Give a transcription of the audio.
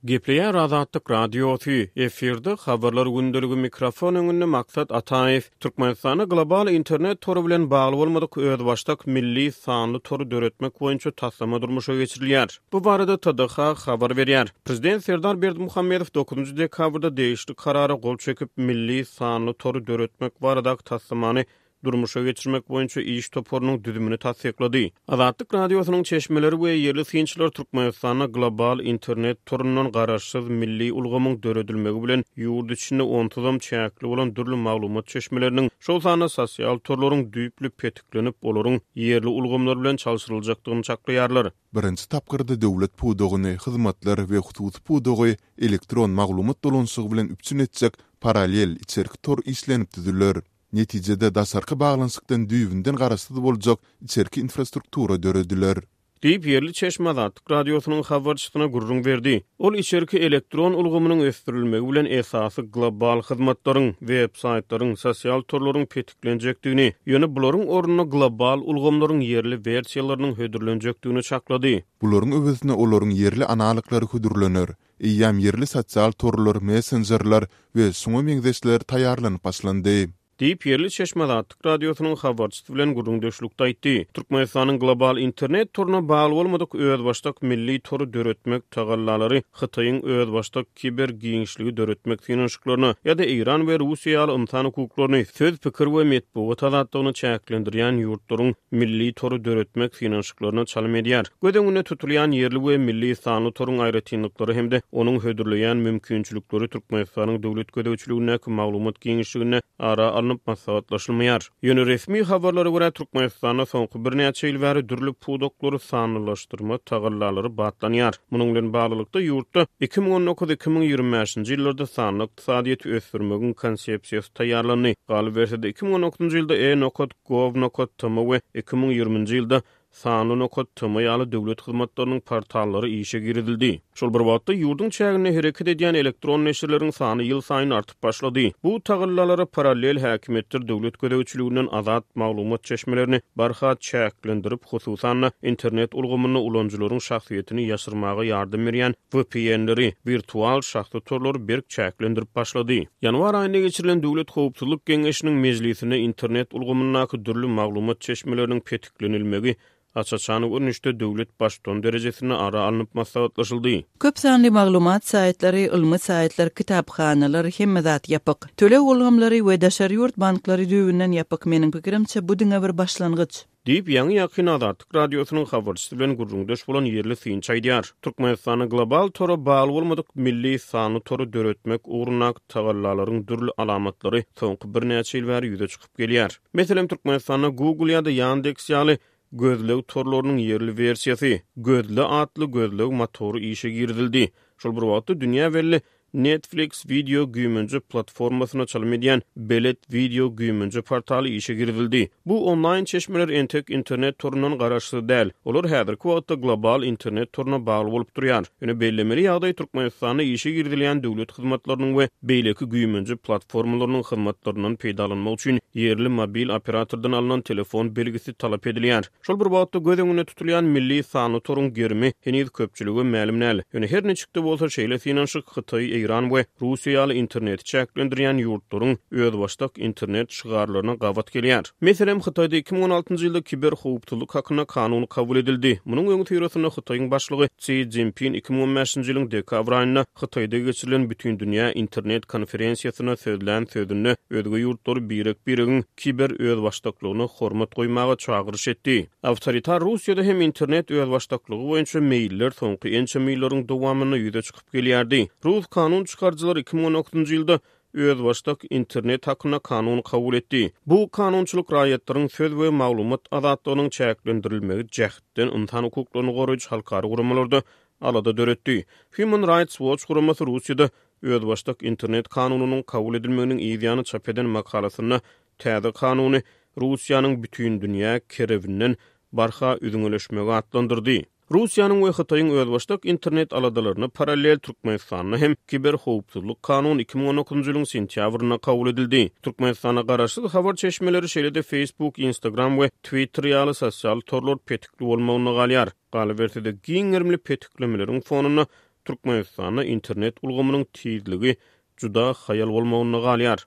Gepleýär Azatlyk Radiosy, efirde Habarlar gündeligi mikrofon öňünde Maksat Ataýew. Türkmenistanda global internet tory bilen bagly bolmadyk özbaşdak milli sanly tory döretmek boýunça taslama durmuşa geçirilýär. Bu barada TDH habar berýär. Prezident Serdar Berdimuhamedow dokuzynjy dekabrda degişli Karara gol çekip, milli sanly tory döretmek baradaky taslamany durmuşa geçirmek boýunça iş toparynyň düzümini tassyklady. Azatlyk Radiosynyň çeşmeleri we ýerli synçylar Türkmenistanda global internet torundan garaşsyz milli ulgamyň döredilmegi bilen ýurt içinde onsuzam çäkli bolan dürli maglumat çeşmeleriniň, şol sanda sosial torlaryň düýpli petiklenip, olaryň ýerli ulgamlar bilen çalşyryljakdygyny çaklaýarlar. Birinji tapgyrda döwlet pudagyny, hyzmatlar we hususy pudagy elektron maglumat dolanyşygy bilen üpjün etjek parallel içerki tor işlenip düzüler. Netijede daşarky baglanyşykdan düýbünden garaşsyz boljak içerki infrastruktura dörediler. Diýip, ýerli çeşme Azatlyk Radiosynyň habarçysyna gürrüň berdi. Ol içerki elektron ulgamynyň ösdürilmegi bilen esasy global hyzmatlaryň, web-saýtlaryň, sosial torlaryň petiklenjekdigini, ýöne bularyň ornuna global ulgamlaryň ýerli wersiýalarynyň hödürlenjekdigini çaklady. Bularyň öwezine olaryň ýerli analoglary hödürlener. Eýýäm ýerli sosial torlar, messenjerler we şuňa meňzeşler taýýarlanyp başlandy. Diýip, ýerli çeşme Azatlyk Radiosynyň habarçysy bilen gürrüňdeşlikde aýtdy. Türkmenistanyň global internet toruna bagly bolmadyk özbaşdak milli tory döretmek tagallalary Hytaýyň özbaşdak kiber giňişligi döretmek synanyşyklaryna ýa-da Eýran we Russiýa ýaly ynsan hukuklaryny, söz, pikir we metbugat azatlygyny çäklendirýän ýurtlaryň milli tory döretmek synanyşyklaryna çalym edýär. Göz öňünde tutulýan ýerli we milli sanly toruň aýratynlyklary hem-de onuň hödürleýän mümkinçilikleri Türkmenistanyň döwlet gözegçiligindäki maglumat giňişliginde ara alnyp maslahatlaşylmaýar. Ýöne resmi habarlara görä, Türkmenistanda soňky birnäçe ýyl bäri dürli pudaklary sanlylaşdyrma tagallalary batlanýar. Munuň bilen baglylykda, ýurtda 2019, 2025-nji ýyllarda sanly ykdysadyýeti ösdürmegiň konsepsiýasy taýýarlandy. Galyberse-de, 2019-njy ýylda e-nokat gov nokat tm we 2020-nji ýylda Sanly nokat tm ýaly döwlet hyzmatlarynyň portallary işe girizildi. Şol bir wagtda, ýurduň çäginde hereket edýän elektron neşirleriň sany ýylsaýyn artyp başlady. Bu tagallalara parallel häkimiýetler döwlet gözegçiliginden azat maglumat çeşmelerini barha çäklendirip, hususan-da, internet ulgamynda ulanyjylaryň şahsyýetini ýaşyrmaga ýardam berýän VPN-leri, wirtual şahsy torlary berk çäklendirip başlady. Ýanwar aýynda geçirilen Döwlet howpsuzlyk geňeşiniň mejlisinde internet ulgamyndaky dürli maglumat çeşmeleriniň petiklenilmegi aç-açan görnüşde döwlet Baştutany derejesinde ara alnyp maslahatlaşyldy. Köp sanly maglumat saýtlary, ylmy saýtlar, kitaphanalar, hemme zat ýapyk. Töleg ulgamlary we daşary ýurt banklary düýbünden ýapyk. Meniň pikirimçe, bu diňe bir başlangyç. Diýip, ýaňy-ýakyn Azatlyk Radiosynyň habarçysy bilen gürrüňdeş bolan ýerli synçy aýdýar. Türkmenistanda global tora bagly bolmadyk milli sanly tory döretmek ugrundaky tagallalaryň dürli alamatlary soňky birnäçe ýyl bäri ýüze çykyp gelýär. Meselem, Türkmenistanda Google ýa-da Yandex ýaly gözleg torlarynyň ýerli wersiýasy, Gözle atly gözleg motory işe girizildi. Şol bir wagtda dünýä belli Netflix wideo güýmenje platformasyna çalym edýän Belet wideo güýmenje portaly işe girizildi. Bu onlaýn çeşmeler entek internet torundan garaşsyz däl. Olar häzirki wagtda global internet toruna bagly bolup durýar. Ýöne bellemeli ýagdaý Türkmenistanda işe girizilýän döwlet hyzmatlarynyň we beýleki güýmenje platformalarynyň hyzmatlaryndan peýdalanmak üçin ýerli mobil operatordan alnan telefon belgisi talap edilýär. Şol bir wagtda göz öňünde tutulýan milli sanly toruň gerimi heniz köpçülige mälim däl. Ýöne her niçik-de bolsa şeýle synanyşyk Hytaý, Eýran we Russiýa ýaly interneti çäklendirýän ýurtlaryň özbaşdak internet şygarlaryna gabat gelýär. Meselem, Hytaýda 2016-njy ýylda kiberhowpsuzlyk hakynda kanun kabul edildi. Munuň öňüsyrasynda Hytaýyň başlygy Si Szinpin 2015-nji ýylyň dekabr aýynda Hytaýda geçirilen Bütindünýä internet konferensiýasynda sözlän sözünde özge ýurtlary birek-biregiň kiber özbaşdaklygyna hormat goýmaga çagyryş etdi. Awtoritar Russiýada hem internet özbaşdaklygy boýunça meýiller soňky ençeme ýyllaryň dowamynda ýüze çykyp gelýärdi. Rus kanun çykaryjylary 2019-njy ýylda özbaşdak internet hakynda kanun kabul etdi. Bu kanunçylyk raýatlaryň söz we maglumat azatlygynyň çäklendirilmegi jähtden ynsan hukuklaryny goraýjy halkara guramalarda alada döretdi. Human Rights Watch guramasy Russiýada özbaşdak internet kanunynyň kabul edilmeginiň yz ýany çap eden makalasynda täze kanuny Russiýanyň bütindünýä kerebinden barha üzňeleşmegi atlandyrdy. Russiýanyň we Hytaýyň özbaşdak internet aladalaryna parallel Türkmenistanda hem Kiberhowpsuzlyk kanuny 2019-njy ýylyň sentýabrynda kabul edildi. Türkmenistanda garaşsyz habar çeşmeleri, şeýle-de Facebook, Instagram we Twitter ýaly sosial torlar petikli bolmagynda galýar. Galyberse-de, giň gerimli petiklemeleriň fonunda. Türkmenistanda internet ulgamynyň tizligi juda haýal bolmagynda galýar.